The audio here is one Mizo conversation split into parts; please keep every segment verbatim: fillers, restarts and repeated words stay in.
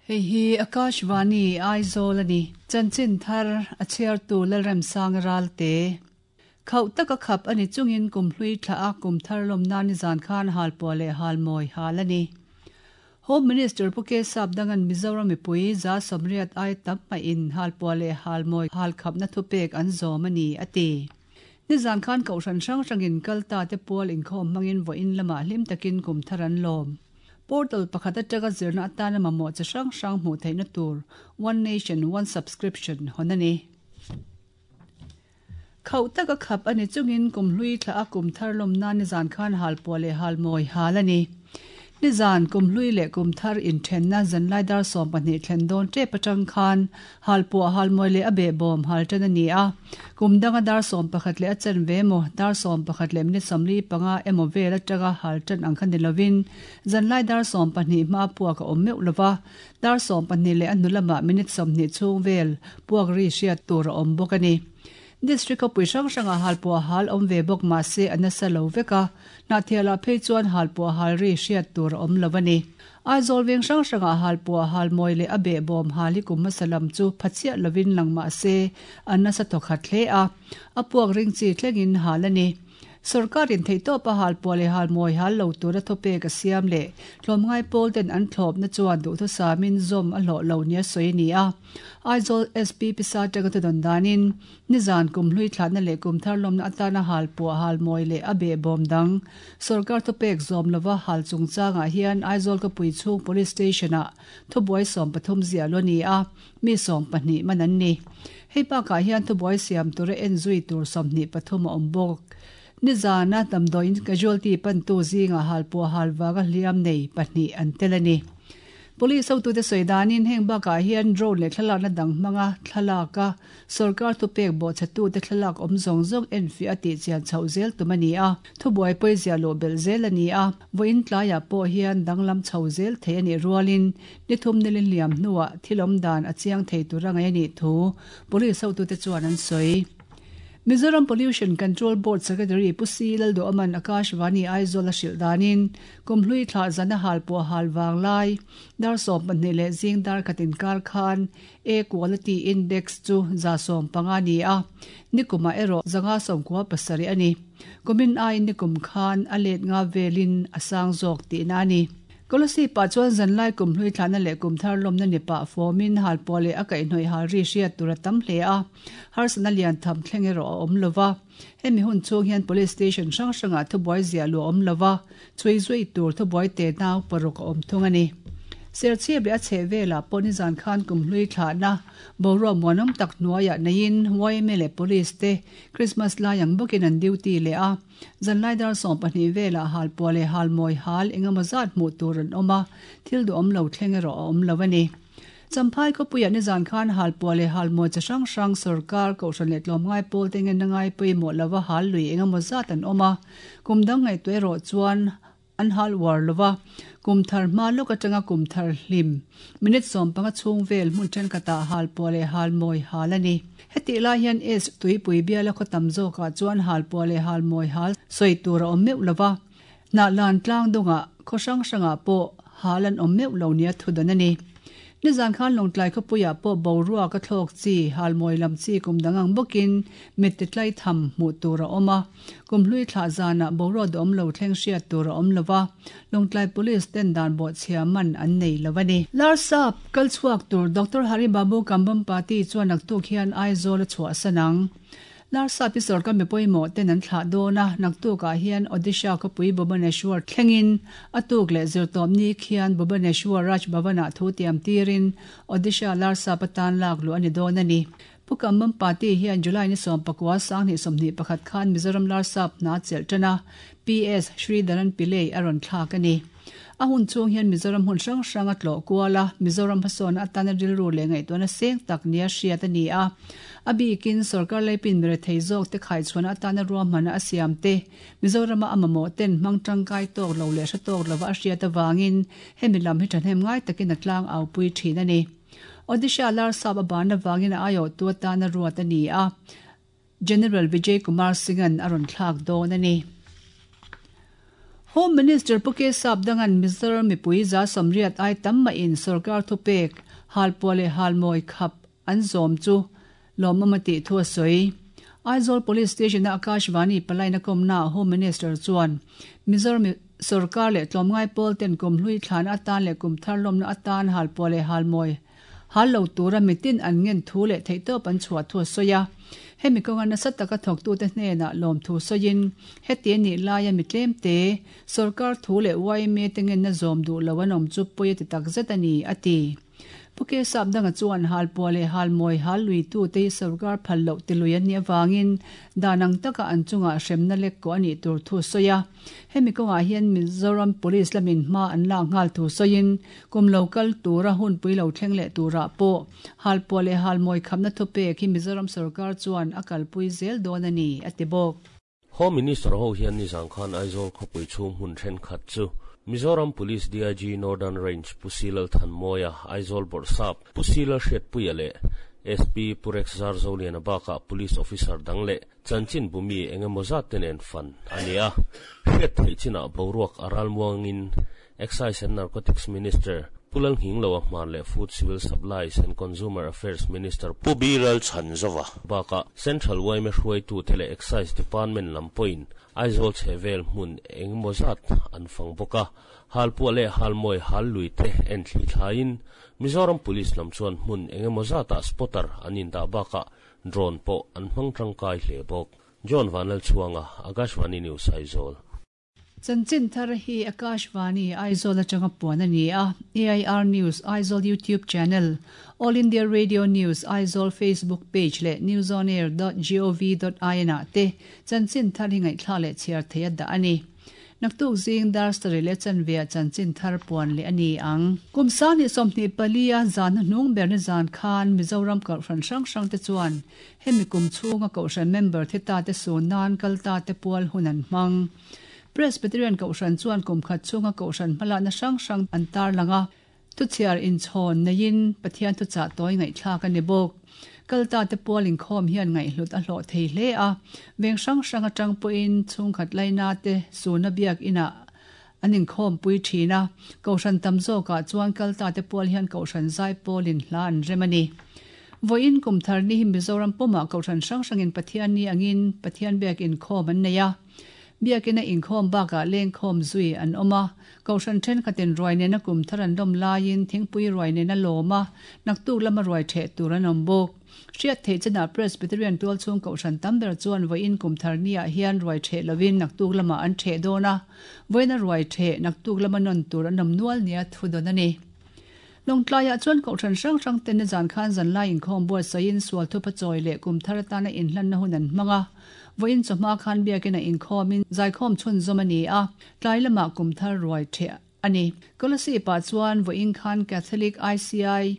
Hei hi Akashvani Aizawl a ni. Chanchin thar a chhiartu Lalremsanga Ralte. Khauh taka khap a ni chungin kum hlui thla a kum thar lawmna nizan khan halpuah leh halmawi hal a ni. Home Minister Pu K Sapdangan Mizoram mipui za sawmriat ai tam maiin halpuah leh halmawi halkhapna thupek an zawm a ni a ti. Nizan khan kohhran hrang hrangin kal ta te pual inkhawm hmangin vawiin lamah hlim takin kum thar an lawm. Portal pakhat atanga zirna atana mamawh chi hrang hrang hmuh theihna tur One Nation One Subscription hawn a ni. Khauh taka khap a ni chungin kum hlui thla a kum thar lawmna nizan khan halpuah leh halmawi hal a ni. Nizan kum hlui leh kum thar inthenna zanlai dar sawm pahnih thlen dawn tep atang khan halpuah halmawi leh a behbawm hal tan a ni a. Kum danga dar sawm pakhat leh a chen ve emaw dar sawm pakhat leh minute sawmli panga emaw vel atanga hal tan ang kha ni lovin zanlai dar sawm pahnih hma puak a awm meuh lova dar sawm pahnih leh a hnu lamah minute sawmhnih chhung vel puak ri hriat tur a awm bawk a ni. District khawpui hrang hrangah halpuah hal awm ve bawk mah se a nasa lo vek a, Hnahthialah phei chuan halpuah hal ri hriat tur a awm lo a ni. Aizawl veng hrang hrangah halpuah halmawi leh a behbawm hal hi kum hmasa lam chu phachiah lovin lang mah se a nasa thawkhat hle a, a puak ring chi thlengin hal a ni. Sarkarin theihtawpa halpuah leh halmawi hal lo tura thawpek a siam leh tlawmngai pawl ten an thlawpna chuan duhthusamin zawm a hlawh lo nia sawi a ni a. Aizawl S P Pisa atanga thudawn danin nizan kum hlui thlahna leh kum thar lawmna atana halpuah halmawi leh a behbawm dang sarkar thawpek zawm lova hal chungchangah hian Aizawl khawpui chhung police station-ah thubuai sawm pathum ziah lo a ni a, mi sawm pahnih man an ni. Hei bakah hian thubuai siam tura en zui tur sawmhnih pathum a awm bawk. Nizana damdawiin casualty pantu zinga halpuah halwanga hliam nei pahnih an tel a ni. Police hotute sawi danin heng bakah hian drone leh thlalakna dang hmanga thlalaka sarkar thupek bawhchhetute thlalak awm zawng zawng en fiah a tih chian chhoh zel tum a ni a. Thubuai pawi zia lo belh zel a ni a. Vawiin tlaiah pawh hian danglam chho zel thei a nih rualin nithum nilin liam hnuah thil awm dan a chiang thei tura ngaih a nih thu police hotute chuan an sawi. Mizoram Pollution Control Board Secretary Pu C Lalduaman Akashvani Aizawl a hrilh danin kum hlui thlah zana halpuah hal wang lai dar sawm pahnih leh zing dar khatin kar khan Air Quality Index chu za sawm panga ni a, nikuma erawh zanga sawmkua pasarih a ni. Kumin aiin nikum khan a let nga velin a sang zawk tihna a ni. Kolasib-ah chuan zanlai kum hlui thlahna leh kum thar lawmna ni pah fawmin halpuah leh a kaihhnawih hal ri hriat tur a tam hle a, harsatna lian tham thleng erawh a awm lova. Hemi hun chhung hian police station hrang hrangah thubuai ziah luh a awm lova, chhui zui tur thubuai te nau paruk a awm thung a ni. Serchhip leh a chheh velah pawh nizan khan kum hlui thlahna boruak muanawm tak hnuaiah neiin Y M A leh police te Christmas lai ang bawkin an duty leh a. Zanlai dar sawm pahnih velah halpuah leh halmawi hal engemaw zat hmuh tur an awm a, thil duhawm lo thleng erawh a awm lo a ni. Champhai khawpuiah nizan khan halpuah leh halmawi chi hrang hrang sarkar kohhran leh tlawmngai pawl te ngen na ngai pawimawh lova hal lui engemaw zat an awm a, kum dang ngaihtuah erawh chuan an hal uar lova, kum thar hma lawk atanga kum thar hlim minute sawm panga chhung vel hmun thenkhatah halpuah leh halmawi hal a ni. Heti lai hian S tuipui biala khaw tam zawkah chuan halpuah leh halmawi hal sawi tur a awm meuh lova, hnahlan tlang dawngah khaw hrang hrangah pawh hal an awm meuh lo nia thudan a ni. Nizan khan lawngtlai khawpuiah pawh boruak a thlawk chi halmawi lam chi kum dang ang bawkin mit ti tlai tham hmuh tur a awm a, kum hlui thlah zanah boruak duhawm lo thleng hriat tur a awm lova, lawngtlai police ten dan bawhchhia man an nei lo a ni. Larsap kal chhuak tur Doctor Hari Babu Kambhampati chuan naktuk hian Aizawl a chhuah sanang. Larsap hi sarkar mi pawimawh ten an thlah dawn a, naktukah hian Odisha khawpui Bhubaneswar thlengin a tuk leh zirtawm ni khian Bhubaneswar Raj Bhavan-ah thu tiam tirin Odisha Larsap atan lak luh a ni dawn a ni. Pu Kambhampati hian July ni sawm pakua sanghnih sawmhnih pakhat khan Mizoram Larsap hna chelh tan a, P S Sridharan Pillai a rawn thlak a ni. A hun chung hian Mizoram hun hrang hrang a tlawh kual a, Mizoram hmasawn atana rilru leh ngaihtuahna seng tak nia hriat a ni a. A bikin sarkar laipin mi rethei zawk te khaichhuahna atana ruahmanna a siam te, Mizorama a mamawh ten hmang tangkai tawk lo leh hre tawk lova a hriat avangin hemi lam hi thahnem ngai takin a tlang au pui thin a ni. Odisha Larsap a ban avangin a aiawh tu atana ruat a ni a, General Vijay Kumar Singh-an a rawn thlak dawn a ni. Home Minister Pu K Sapdanga'n Mizoram mipui za sawmriat ai tam mahin sorkar thupek halpuah leh halmawi khap an zawm chu lawmawm a tih thu a sawi. Aizawl Police Station-a Akashvani palaina kawmnaah Home Minister chuan Mizoram sorkar leh tlawmngai pawl ten kumhlui thlan atan leh kumthar lawmna atan halpuah leh halmawi hal lo tura mitin an ngen thu leh theihtawp an chhuah thu a sawi a. Hemi kawnga nasa taka thawktute hnenah lawm thu sawiin heti a nih laia mi tlemte sorkar thu leh Y M A te ngenna zawm duh lo an awm chu pawi a ti takzet a ni, a ti. Pu K Sapdanga chuan halpuah leh halmawi hal luitute hi sorkar phal loh tilui an nih avangin dan ang taka an chungah hremna lek kawh a nih tur thu a sawi a. Hemi kawngah hian Mizoram Police lamin hma an lak nghal thu sawiin kum lo kal tura hunpui lo thleng leh turah pawh halpuah leh halmawi khamna thupek hi Mizoram sorkar chuan a kalpui zel dawn a ni, a ti bawk. Home Minister ho hian nizan khan Aizawl khawpui chhung hmun thenkhat chu Mizoram Police D I G Northern Range Pu C Lalthanmawia, Aizawl Bawrhsap Pu C Lalhriatpuia leh S P Pu Rex Zarzoliana bakah Police Officer dang leh chanchin bumi engemaw zat te nen fan a ni a. Hriat theih chinah boruak a ralmuangin Excise and Narcotics Minister Pu Lalnghingloa Hmar leh Food Civil Supplies and Consumer Affairs Minister Pu B Lalchhanzova bakah Central Y M A hruaitute leh Excise Department lam pawhin Aizawl chhehvel hmun engemaw zat an fang bawk a. Halpuah leh halmawi hal lui te en thli thlaiin Mizoram Police lam chuan hmun engemaw zatah spotter an indah bakah drone pawh an hmang tangkai hle bawk. John Vanlalchhuanga, Akashvani News, Aizawl. Chanchin thar hi Akashvani Aizawl atanga puan a ni a. A I R News Aizawl YouTube channel, All India Radio News Aizawl Facebook page leh newsonair dot gov dot in ah te chanchin thar hi ngaihthlak leh chhiar theih a dah a ni. Naktuk zing dar sarih leh chanve ah chanchin thar puan leh a ni ang. Kum sanghnih sawmhnih pali a zan hnuhnung ber ni zan khan Mizoram kohhran hrang hrang te chuan hemi kum chhunga kohhran member thi ta te sun nan kal ta te pual hun an hmang. Presbyterian kohhran chuan kum khat chhunga kohhran hmalakna hrang hrang an tar lang a. Thuchhiar inchhawn neiin Pathian thuchah tawi ngaihthlak a ni bawk. Kal ta te pual inkhawm hian ngaihhlut a hlawh thei hle a. Veng hrang hrang atang pawhin chhungkhat laina te suna biak inah an inkhawm pui thin a. Kohhran tam zawkah chuan kal ta te pual hian kohhran zai pawlin hla an rem a ni. Vawiin kum thar ni hi Mizoram pumah kohhran hrang hrangin Pathian ni angin Pathian biak inkhawm an nei a. Biakina inkhawm bakah lengkhawm zui an awm a. Kohhran thenkhatin ruai nena kum thar an lawm laiin thingpui ruai nena lawm a, naktuk lama ruai theh tur an awm bawk. Hriat theih chinah Presbyterian tualchhung kohhran tam ber chuan vawiin kum thar niah hian ruai theh lovin naktuk lamah an theh dawn a. Vawiina ruai theh naktuk lama nawn tur an awm nual nia thu dawn a ni. Lawngtlaiah chuan kohhran hrang hrang ten nizan khan zanlai inkhawm buatsaihin sual thupa chawi leh kum thar atana inhlanna hun an hmang a. Vawiin chawhma khan biakina inkhawmin zaikhawm chhunzawm a ni a, tlai lamah kum thar ruai theh a ni. Kolasib-ah chuan vawiin khan Catholic, I C I,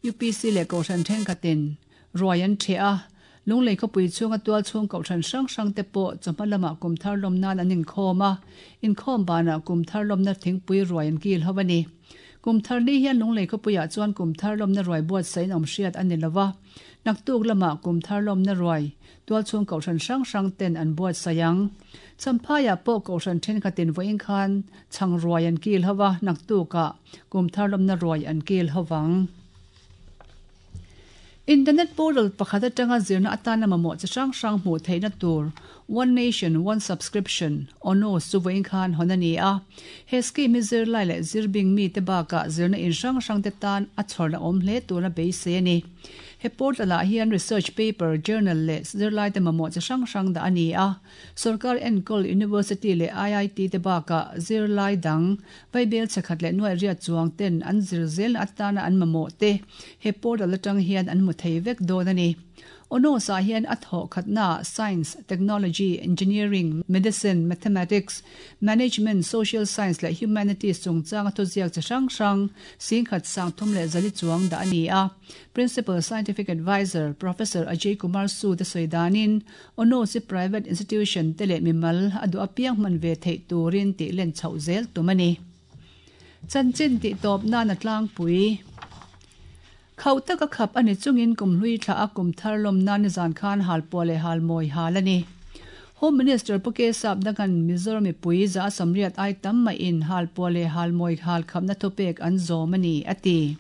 U P C leh kohhran thenkhatin ruai an theh a. Lunglei khawpui chhunga tualchhung kohhran hrang hrang te pawh chawhma lamah kum thar lawm nan an inkhawm a. Inkhawm banah kum thar lawmna thingpui ruai an kil ho a ni. Kum thar ni hian Lunglei khawpuiah chuan kum thar lawmna ruai buatsaihin awm hriat a ni lova. Naktuk lamah kum thar lawmna ruai tualchhung kohhran hrang hrang ten an buatsaih ang. Champhaiah pawh kohhran thenkhatin vawiin khan chhang ruai an kil ho a, naktukah kum thar lawmna ruai an kil ho ang. Internet portal pakhat atanga zirna atana mamawh chi hrang hrang hmuh theihna tur One Nation One Subscription ONOS chu vawiin khan hawn a ni a. He scheme hi zirlai leh zirbing mi te bakah zirna in hrang hrang te tan a chhawrna awm hle tura beisei a ni. He portal ah hian research paper, journal leh zirlai te mamawh chi hrang hrang dah a ni a. Sorkar enkawl University leh I I T te bakah zirlai dang vaibel chakhat leh nuai riat chuang ten an zir zelna atana an mamawh te he portal atang hian an hmu thei vek dawn a ni. ONOS ah hian a thawh khatna science, technology, engineering, medicine, mathematics, management, social science leh humanities chungchanga thuziak chi hrang hrang singkhat sangthum leh zali chuang dah a ni a. Principal Scientific Advisor Professor Ajay Kumar Sood a sawi danin ONOS hi private institution te leh mimal a duh apiang hman ve theih turin tih len chhoh zel tum a ni. Chanchin tih tawp nan a tlangpui. Khauh taka khap a ni chungin kumhlui thla a kum thar lawm nan nizan khan halpuah leh halmawi hal a ni. Home Minister Pu K Sapdanga'n Mizoram mipui za sawmriat ai tam maiin halpuah leh halmawi hal khapna thupek an zawm a ni, a ti.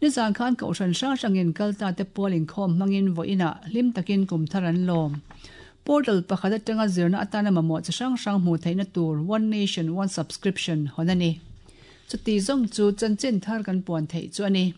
Nizan khan kohhran hrang hrangin kalta te pual inkhawm hmangin vawiinah hlim takin kum thar an lawm. Portal pakhat atanga zirna atana mamawh chi hrang hrang hmuh theihna tur One Nation One Subscription hawn a ni. Chuti zawng chu chanchin thar kan puan theih chu a ni.